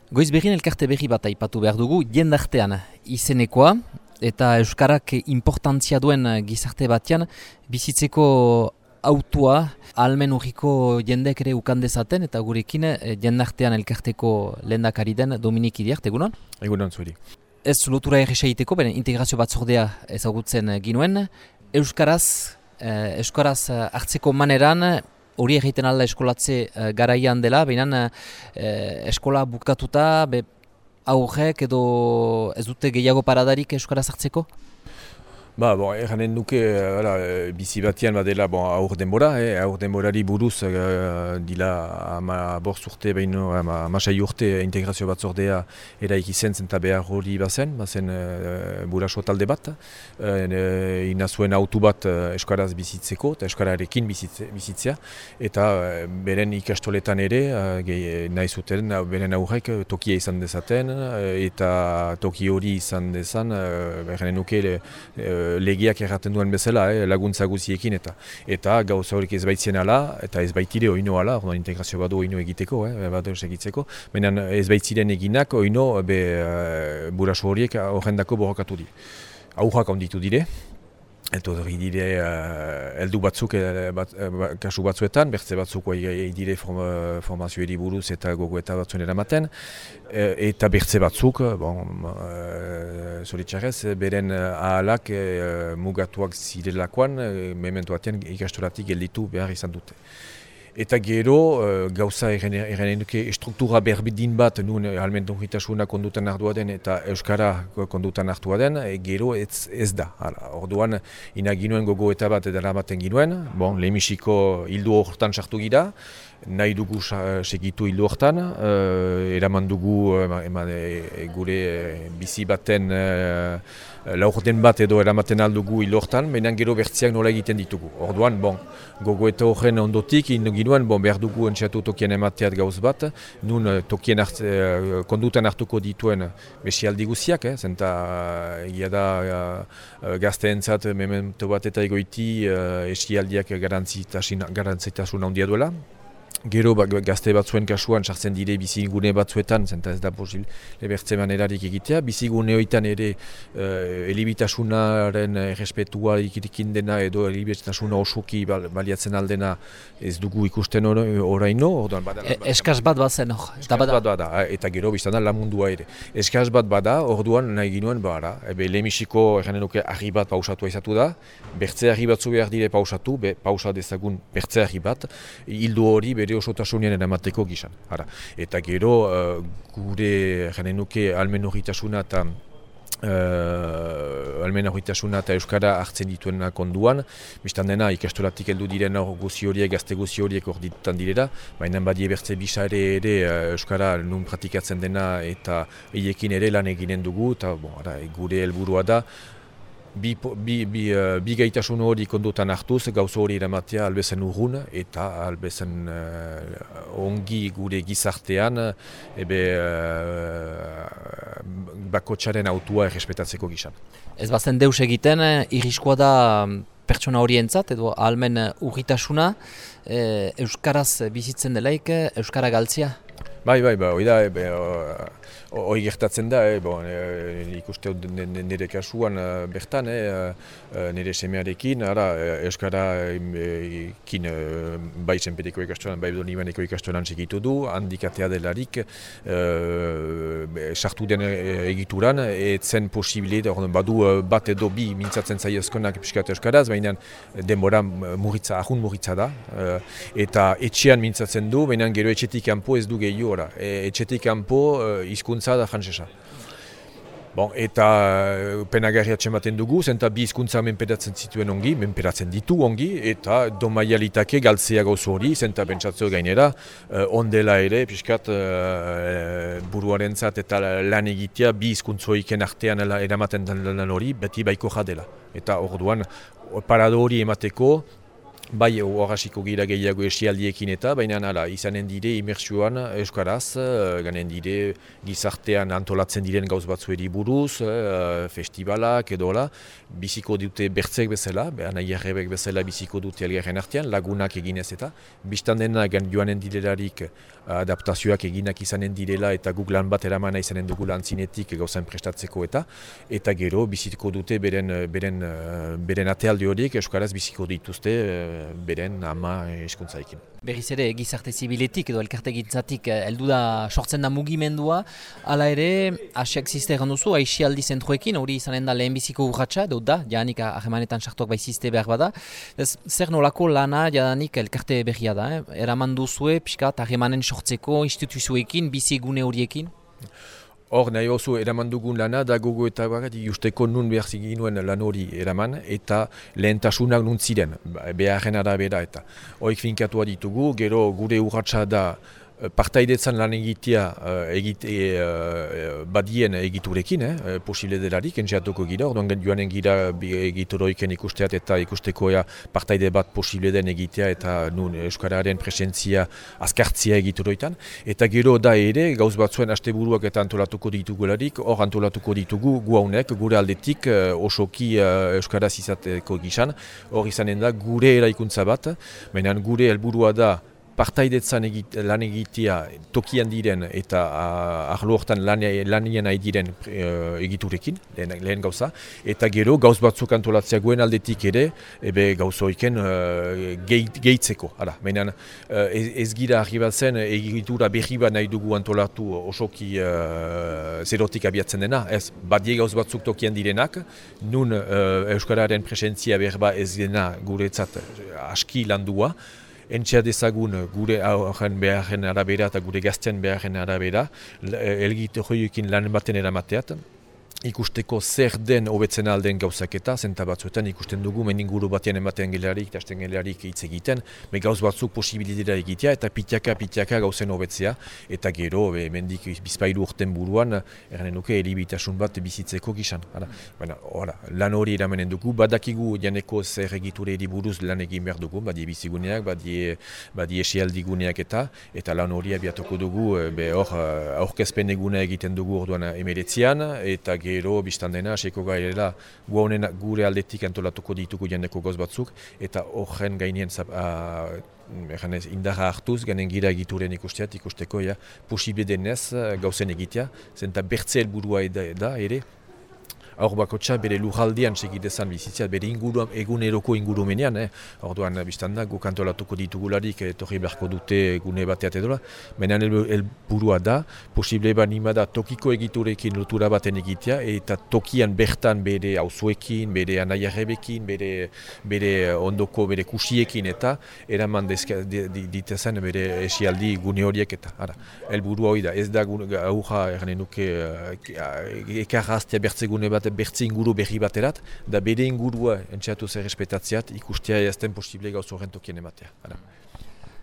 Goiz berrien elkarte berri bat aipatu behar dugu, jendartean izenekoa, eta euskarak importantzia duen gizarte batean, bizitzeko autua ahalmen urriko jendeek ere ukan dezaten, eta gurekin jendartean elkarteko lehendakari den Dominik Iriart, egunon? Egunon zuri. Ez lotura erresa egiteko, integrazio batzordea ezagutzen ginuen, euskaraz hartzeko maneran, hori egiten alda eskolatze garaian dela, baina eskola bukatuta aurrek edo ez dute gehiago paradarik euskaraz hartzeko? Erranen duke, bizi batian badela aur denbora, aur denborari buruz dila 15 urte, amasei urte integrazio batzordea eraiki zen eta behar hori bazen buraso talde bat, ina zuen autu bat euskaraz bizitzeko eta euskararekin bizitzea, eta beren ikastoletan ere, nahi zuten, beren aurrek tokia izan dezaten, eta toki hori izan dezan, erranen duke, legiak erraten duen bezala, laguntza guziekin eta gauza horik ez baitzien ala, eta ez baitire oino ala, integrazio badu oino egiteko, badu egitzeko, baina ez baitziren eginak oino buraso horiek horrendako borrokatu di. Aurrak onditu dire, eta hori dire heldu batzuk kasu batzuetan, bertze batzuk dire formazioeri buruz eta gogoeta batzuen eramaten, eta bertze batzuk, zoritxarrez, beren ahalak mugatuak zirelakoan, memento batean ikastoratik gelditu behar izan dute. Eta gero, gauza erranen duke struktura berbidin bat nun ahalmen urritasuna kondutan hartua den eta euskara kondutan hartua den, gero ez da. Orduan, inaginuen gogoeta bat edera baten ginuen, lehenbiziko hildu horretan sartu gira, nahi dugu segitu hildu horretan, eraman dugu gure bizi baten laurden bat edo eramaten aldugu hildu horretan, baina gero bertziak nola egiten ditugu. Orduan, gogoeta horren ondotik, ginuen, behar dugu entxeatu tokien emateat gauz bat, nun tokien kondutan hartuko dituen besialdi guziak, zenta egia da gazteentzat memento bat eta egoiti esialdiak garantzitasun handia duela. Gero gazte batzuen kasuan sartzen dire bizigune batzuetan, zenta ez da posible bertze manerarik egitea. Bizigune hoitan ere elibitasunaren errespetua ikikin dena edo elibitasuna osoki baliatzen aldena ez dugu ikusten oraino. Eskaz bat bazen hor. Eta gero biztan da lamundua ere. Eskaz bat bada, orduan nahi ginuen lehenbiziko erranen duke argi bat pausatua izatu da, bertze argi batzu behar dire pausatu, pausa dezagun bertze argi bat, hildu hori bere osotasunean eramateko gizan. Eta gero gure janen nuke ahalmen urritasuna eta euskara hartzen dituena konduan, biztan dena ikastoratik heldu diren guzi horiek, gazte guzi horiek hor ditutan direla, baina badie bertze bisa ere euskara nun pratikatzen dena eta hiekin ere lan eginen dugu, eta gure helburua da, bi gaitasun hori kondutan hartuz, gauzo hori eramatea albezen urrun eta albezen ongi gure gizartean bakotxaren autua errespetatzeko gizan. Ez bazen deus egiten, irriskoa da pertsona horientzat edo ahalmen urritasuna, euskaraz bizitzen delaik, euskara galtzia? Hoi da, hoi gertatzen da, ikuste nire kasuan bertan, nire semearekin, euskararekin bai zenpeteko ikastolan, bai donibaneko ikastolan segitu du, handikatea delarik, sartu den egituran, etzen posibile, badu bat edo bi mintzatzen zaiozkonak piskat euskaraz, baina denbora ahun muritza da, eta etxean mintzatzen du, baina gero etxetik kanpo ez du gehiago. Etxetik kanpo hizkuntza da frantsesa. Eta penagarriatzen baten dugu, zenta bi hizkuntza menperatzen zituen ongi, menperatzen ditu ongi, eta domaialitake galtzea gauzu hori, zenta pentsatzeo gainera, ondela ere, piskat buruarentzat eta lan egitea bi hizkuntzoiken artean eramaten den lan hori, beti baiko jadela. Eta orduan, parado hori emateko, Bai, horrasiko gira gehiago esialdiekin eta, baina izanen dire imersioan euskaraz, ganen dire gizartean antolatzen diren gauz batzueri buruz, festivalak edola, biziko dute bertzek bezala, nahi errebek bezala biziko dute elgarren artean, lagunak eginez eta, biztan dena joanen direlarik adaptazioak eginak izanen direla eta guk lan bat eramana izanen dugu lan zinetik gauzain prestatzeko eta gero biziko dute beren atealde horiek euskaraz biziko dituzte beren ama hizkuntzaikin. Berriz ere, gizarte zibiletik edo elkarte gintzatik heldu da sortzen da mugimendua, hala ere, asiak ziste egan duzu, aixialdi zentroekin, hori izanen da lehenbiziko urratxa, edo da, jadanik ahemanetan sartuak bai ziste behar bada. Zer nolako lana jadanik elkarte berria da, eraman duzue, pixkat, ahemanen sortzeko instituzioekin, bizigune horiekin? Hor nahi oso eraman dugun lana da gogo eta justeko nun behar ginuen lan hori eraman eta lehentasunak nun ziren, beharren arabera eta hoik finkatua ditugu, gero gure urratsa da partaidetzan lan egitea badien egiturekin, posible delarik, entxeatuko gira, orduan joanen gira egituroiken ikusteat eta ikusteko partaide bat posible den egitea eta nun euskararen presentzia azkartzia egituroitan. Eta gero da ere, gauz batzuen asteburuak eta antolatuko ditugularik, hor antolatuko ditugu gu haunek, gure aldetik osoki euskaraz izateko gizan, hor izanen da gure eraikuntza bat, baina gure helburua da partaidetzan lan egitea tokian diren eta arlo hortan lanien nahi diren egiturekin, lehen gauza, eta gero gauz batzuk antolatzea guen aldetik ere, gauzoiken gehitzeko. Baina ez gira arribatzen egitura berri bat nahi dugu antolatu osoki zerotik abiatzen dena, ez badie gauz batzuk tokian direnak, nun euskararen presentzia berba ez dena guretzat aski landua, entxea dezagun gure aurren beharren arabera eta gure gazten beharren arabera, elgite horiekin lan baten eramateat, ikusteko zer den hobetzen alden gauzaketa, zenta batzuetan ikusten dugu meninguru batean ematen gelarik, eta esten gelarik hitz egiten, gauz batzuk posibilitatea egitea eta pitiaka gauzen hobetzea, eta gero, mendik bizpailu urten buruan, erranen nuke, elibitasun bat bizitzeko gizan. Lan hori eramenen dugu, badakigu janeko zer egiture buruz lan egin behar dugu, badie biziguneak, badie esialdiguneak eta lan hori abiatuko dugu, aurkezpen eguna egiten dugu orduan emeretzian, eta gero biztan dena, hasiko gairela gure aldetik antolatuko ditugu jendeko goz batzuk, eta horren gainien indarra hartuz, ganen gira egituren ikusteko posible denez gauzen egitea, zenta bertze helburua da ere, aur bakotxa bere lurraldean segitezan bizitzea, bere eguneroko ingurumenean, orduan biztan da, guk antolatuko ditugularik etorri beharko dute gune bateat edola, baina helburua da, posible banima da tokiko egiturekin lotura baten egitea, eta tokian bertan bere auzoekin, bere anaiarrebekin, bere ondoko, bere kusiekin eta eraman ditezen bere esialdi gune horiek eta. Helburua hori da, ez da aurra erranen nuke ekarraztea bertze gune bat bertze inguru berri baterat, da bere ingurua entxeatu zer respetatzeat ikustea jazten posible gauz horren tokien ematea.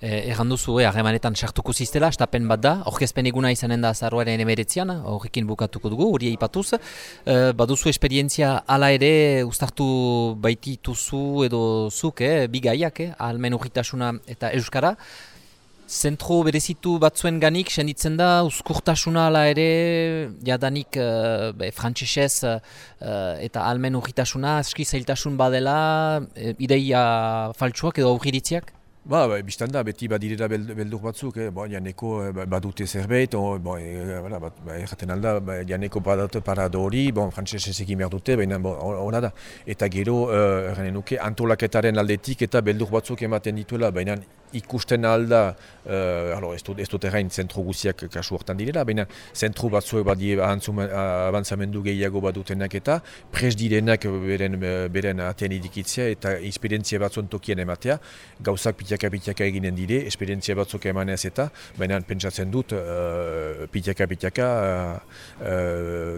Erran duzu, harremanetan sartuko ziztela, estapen bat da, orkezpen eguna izanen da azaroaren 19an, horrekin bukatuko dugu, hori eipatuz. Baduzu esperientzia hala ere, uztartu baitituzu edo zuk, bigaiak, ahalmen urritasuna eta euskara. Zentro berezitu batzuen ganik, senditzen da, uzkurtasuna ala ere, jadanik frantsesez eta ahalmen urritasuna, aski zailtasun badela, ideia faltsuak edo aurriritziak? Biztan da, beti badirera beldur batzuk, janeko badute zerbait, erraten alda, janeko badute parado hori, frantsesez egin behar dute, baina hona da. Eta gero, erranen nuke, antolaketaren aldetik eta beldur batzuk ematen dituela, baina ikusten alda, ez dut errain zentro guziak kasu hortan direla, baina zentro batzuek badie avantzamendu gehiago badutenak eta pres direnak beren atean idikitzea eta esperientzia batzuen tokien ematea, gauzak pitaka eginen dire, esperientzia batzuk emanez eta, baina pentsatzen dut pitaka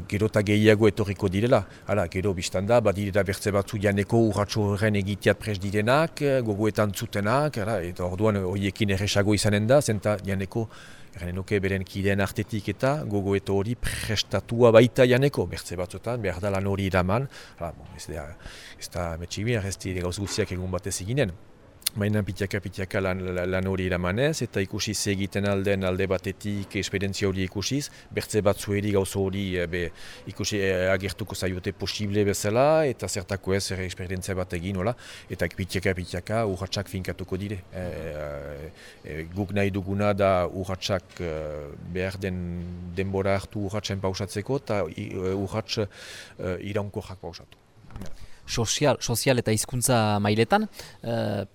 gero eta gehiago etorriko direla. Gero biztan da, badirela bertze batzu janeko urratxo horren egiteat pres direnak, gogoetan zutenak, eta orduan horiekin erresago izanen da, zenta janeko beren kideen artetik eta gogoeto hori prestatua baita janeko, bertze batzuetan, behar da lan hori iraman, ez da metxibin, ez dira gauz guztiak egun batez eginen. Baina pitiaka lan hori eramanez, eta ikusi ze egiten alden alde batetik esperientzia hori ikusiz, bertze batzueri gauza hori ikusi agertuko zaiote posible bezala, eta zertako ez esperientzia bat egin, eta pitiaka urratsak finkatuko dire. Guk nahi duguna da urratsak behar den denbora hartu urratsen pausatzeko, eta urrats iraunkorrak pausatu. Sozial eta hizkuntza mailetan,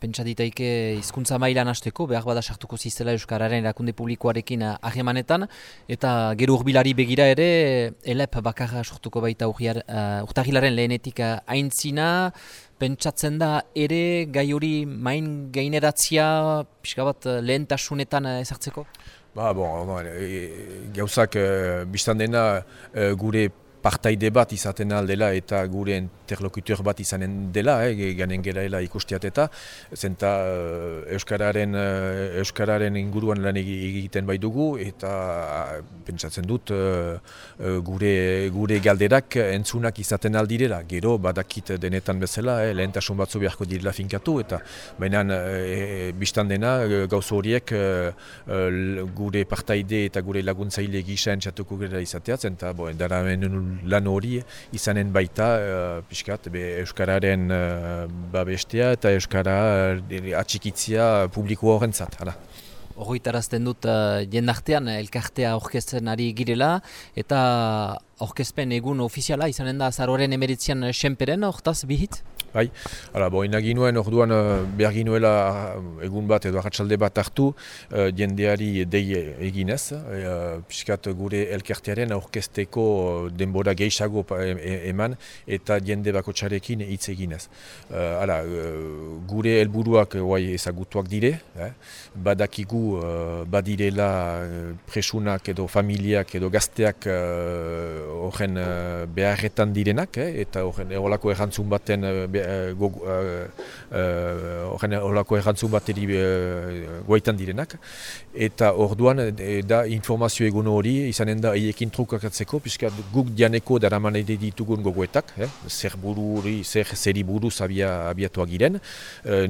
pentsa ditaike hizkuntza mailan hasteko, behar bada sartuko zizela Euskararen erakunde publikoarekin harremanetan, eta gero urbilari begira ere, elep bakarra sortuko baita urtagilaren lehenetik aintzina, pentsatzen da ere gai hori main gaineratzia pixka bat lehentasunetan ezartzeko? Gauzak biztan dena gure partaide bat izaten aldela eta gure interlokuteur bat izanen dela, ganen geraela ikustiat eta zenta Euskararen inguruan lan egiten bai dugu eta pentsatzen dut gure galderak entzunak izaten aldirela. Gero badakit denetan bezala, lehentasun batzu beharko direla finkatu eta baina biztan dena gauza horiek gure partaide eta gure laguntzaile gisa entzatuko gara izateaz, eta daramen lan hori izanen baita Euskararen babestea eta Euskara atxikitzia publiko horrentzat. Horritarazten dut jendartean elkartea aurkezten ari girela eta aurkezpen egun ofiziala izanen da azaroaren 19an Senperen, hortaz bihitz? Bai, ina ginuen orduan behar ginuela egun bat edo arratsalde bat hartu jendeari dei eginez, piskat gure elkartearen aurkezteko denbora gehiago eman eta jende bakotxarekin hitz eginez. Gure helburuak ezagutuak dire, badakigu badirela presunak edo familiak edo gazteak horren beharretan direnak, eta horren horrelako errantzun baten horrelako errantzun bateri goaitan direnak, eta orduan da informazio egun hori izanen da haiekin trukakatzeko, piskat guk dianeko daraman ditugun gogoetak, zeri buruz abiatuak giren,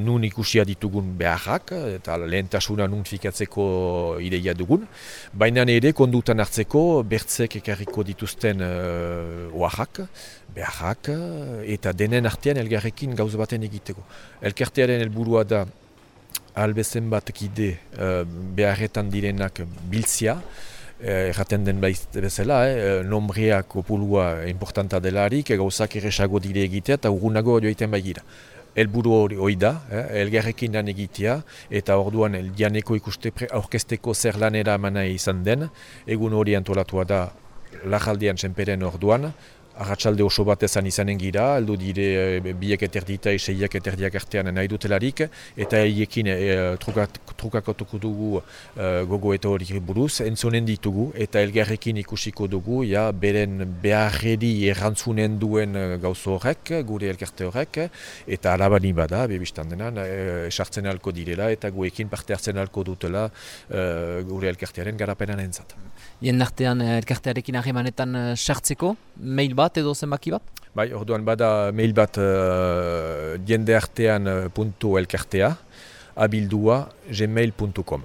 nun ikusia ditugun beharrak, eta lehentasuna nun fikatzeko ideia dugun, baina ere kondutan hartzeko bertzek ekarriko dituzten beharrak, eta denen artean elgarrekin gauz baten egiteko. Elkartearen helburua da albezen bat kide beharretan direnak biltzia, erraten den bezala, nombrea kopulua importanta delarik, gauzak erresago dire egitea eta urgunago joiten baigira. Helburu hori da, elgarrekin lan egitea, eta orduan dianeko ikuste aurkezteko zer lanera amana izan den, egun hori antolatua da Lajaldean Senperen orduan, arratsalde oso bat izanen gira, aldo dire biek eterdita, seiak eterdiak artean nahi dutelarik, eta haiekin trukakatuko dugu gogoeta hori buruz, entzonen ditugu, eta elgarrekin ikusiko dugu, beren beharredi errantzunen duen gauzo horrek, gure elkarte horrek, eta alabani bada, bebistan denan, sartzen alko direla, eta guekin parte hartzen alko dutela gure elkartearen garapenan entzat. Jendartean elkartearekin harremanetan sartzeko, mail bat edo zenbaki bat? Bai, orduan bada mail bat jendeartean.elkartea abildua gmail.com.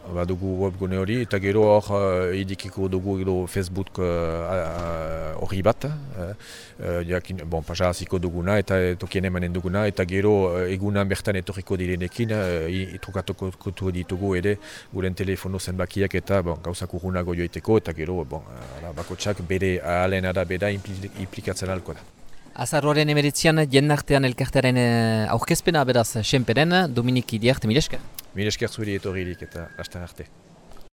Badugu webgune hori, eta gero hor idikiko dugu Facebook hori bat, pasaziko duguna eta tokien emanen duguna, eta gero egunan bertan etorriko direnekin, trukatuko ditugu ere guren telefono zenbakiak eta gauzak urgunago joiteko, eta gero bakotsak bere ahalen arabera implikatzen alko da. Azaroaren 19an jendartean elkartearen aurkezpena beraz Senperen, Dominik Idiart, mila esker. Mila esker zuri etorririk eta hastan arte.